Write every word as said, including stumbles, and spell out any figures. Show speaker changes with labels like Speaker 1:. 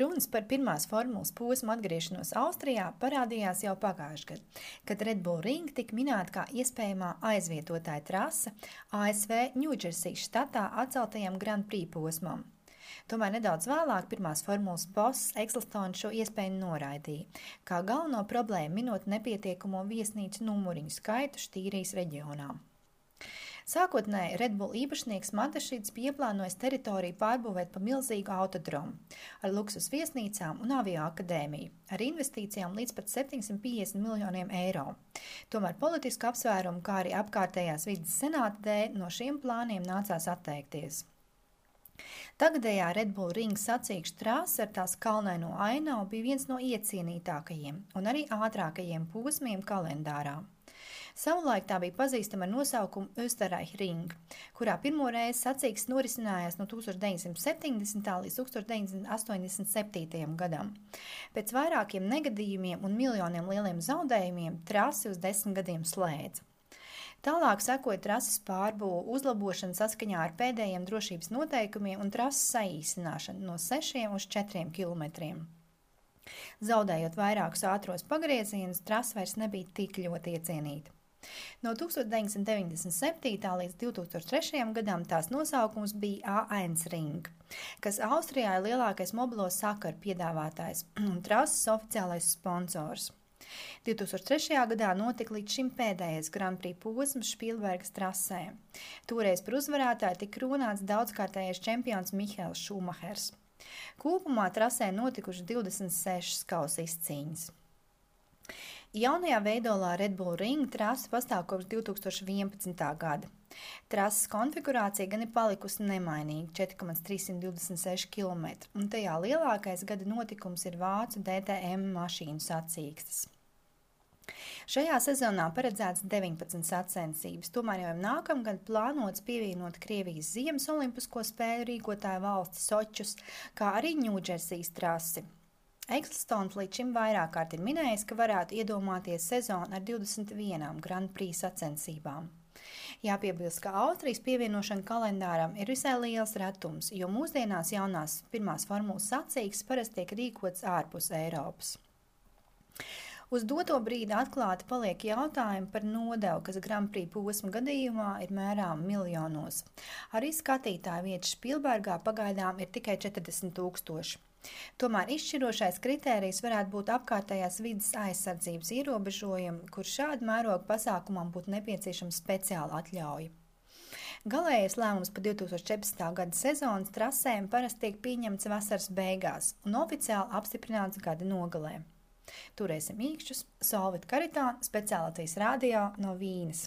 Speaker 1: Runas par pirmās formulas posmu atgriešanos Austrijā parādījās jau pagājušajā gadā, kad Red Bull Ring tika minēta kā iespējamā aizvietotāja trase A S V Ņūdžersijas štatā atceltajam Grand Prix posmam. Tomēr nedaudz vēlāk pirmās formulas boss Ecclestone šo iespēju noraidīja, kā galveno problēmu minot nepietiekamo viesnīcu numuriņu skaitu Štīrijas reģionā. Sākotnēji Red Bull īpašnieks Matešīds bija ieplānojis teritoriju pārbūvēt pa milzīgu autodromu ar luksus viesnīcām un avio akadēmiju, ar investīcijām līdz pat septiņsimt piecdesmit miljoniem eiro. Tomēr politisku apsvērumu, kā arī apkārtējās vides senāta dēļ, no šiem plāniem nācās atteikties. Tagadējā Red Bull Ring sacīkšu trase ar tās kalnaino ainavu bija viens no iecienītākajiem un arī ātrākajiem posmiem kalendārā. Savulaik tā bija pazīstama ar nosaukumu Österreich Ring, kurā pirmo reizi sacīkstes norisinājās no tūkstoš deviņsimt septiņdesmitā līdz tūkstoš deviņsimt astoņdesmit septītajam gadam. Pēc vairākiem negadījumiem un miljoniem lieliem zaudējumiem trasi uz desmit gadiem slēdza. Tālāk sekoja trases pārbūve, uzlabošana saskaņā ar pēdējiem drošības noteikumiem un trases saīsināšana no sešiem uz četriem kilometriem. Zaudējot vairākus ātros pagriezienus, trase vairs nebija tik ļoti iecienīta. No tūkstoš deviņsimt deviņdesmit septītā līdz divtūkstoš trešajam gadam tās nosaukums bija A viens Ring, kas Austrijā ir lielākais mobilo sakaru piedāvātājs un trases oficiālais sponsors. divtūkstoš trešajā gadā notika līdz šim pēdējais Grand Prix posms Špīlbergas trasē. Toreiz par uzvarētāju tika runāts daudzkārtējais čempions Mihaels Šumahers. Kopumā trasē notikuši divdesmit sešas kausa izcīņas. Jaunajā veidolā Red Bull Ring trase pastāv kopš divtūkstoš vienpadsmitā gada. Trases konfigurācija gan ir palikusi nemainīga – četri komats trīssimt divdesmit seši kilometri, un tajā lielākais gada notikums ir vācu D T M mašīnu sacīkstes. Šajā sezonā paredzēts deviņpadsmit sacensības, tomēr jau nākamgad plānots pievienot Krievijas ziemas olimpisko spēļu rīkotāju valsti Sočus, kā arī Ņūdžersijas trasi. Ecclestone līdz šim vairāk kārt ir minējis, ka varētu iedomāties sezonu ar divdesmit vienām Grand Prix sacensībām. Jāpiebilst, ka Austrijas pievienošana kalendāram ir visai liels retums, jo mūsdienās jaunās pirmās formulas sacīkstes parasti tiek rīkots ārpus Eiropas. Uz doto brīdi atklāti paliek jautājumi par nodevu, kas Grand Prix posma gadījumā ir mērām miljonos. Arī skatītāju vietas Špīlbergā pagaidām ir tikai četrdesmit tūkstoši. Tomēr izšķirošais kritērijs varētu būt apkārtējās vides aizsardzības ierobežojumi, kur šādu mērogu pasākumam būtu nepieciešama speciāla atļauja. Galējais lēmums par divtūkstoš četrpadsmitā gada sezonas trasēm parasti tiek pieņemts vasaras beigās un oficiāli apstiprināts gada nogalē. Turēsim īkšķus, Solvit Karitāna, speciālitātes radio no Vīnes.